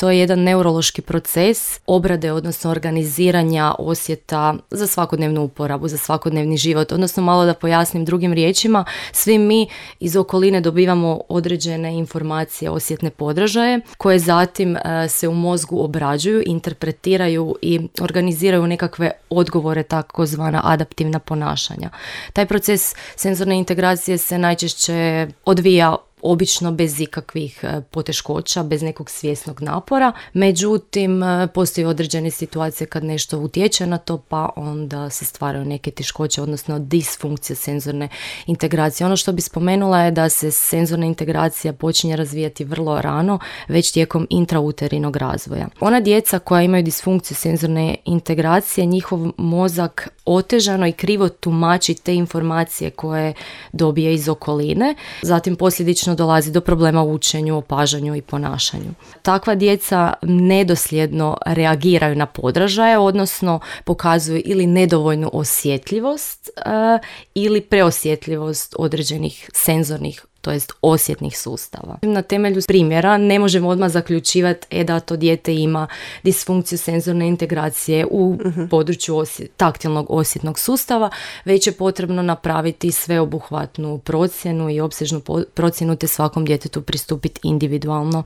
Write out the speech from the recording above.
to je jedan neurološki proces obrade, odnosno organiziranja osjeta za svakodnevnu uporabu, za svakodnevni život. Odnosno, malo da pojasnim drugim riječima, svi mi iz okoline dobivamo određene informacije, osjetne podražaje, koje zatim se u mozgu obrađuju, interpretiraju i organiziraju nekakve odgovore, takozvana adaptivna ponašanja. Taj proces senzorne integracije se najčešće odvija obično bez ikakvih poteškoća, bez nekog svjesnog napora. Međutim, postoji određene situacije kad nešto utječe na to, pa onda se stvaraju neke teškoće, odnosno disfunkcija senzorne integracije. Ono što bi spomenula je da se senzorna integracija počinje razvijati vrlo rano, već tijekom intrauterinnog razvoja. Ona djeca koja imaju disfunkciju senzorne integracije, njihov mozak otežano i krivo tumači te informacije koje dobije iz okoline, zatim posljedično dolazi do problema u učenju, opažanju i ponašanju. Takva djeca nedosljedno reagiraju na podražaje, odnosno pokazuju ili nedovoljnu osjetljivost ili preosjetljivost određenih senzornih, to jest osjetnih sustava. Na temelju primjera ne možemo odmah zaključivati da to dijete ima disfunkciju senzorne integracije u području taktilnog osjetnog sustava, već je potrebno napraviti sveobuhvatnu procjenu i opsežnu procjenu te svakom djetetu pristupiti individualno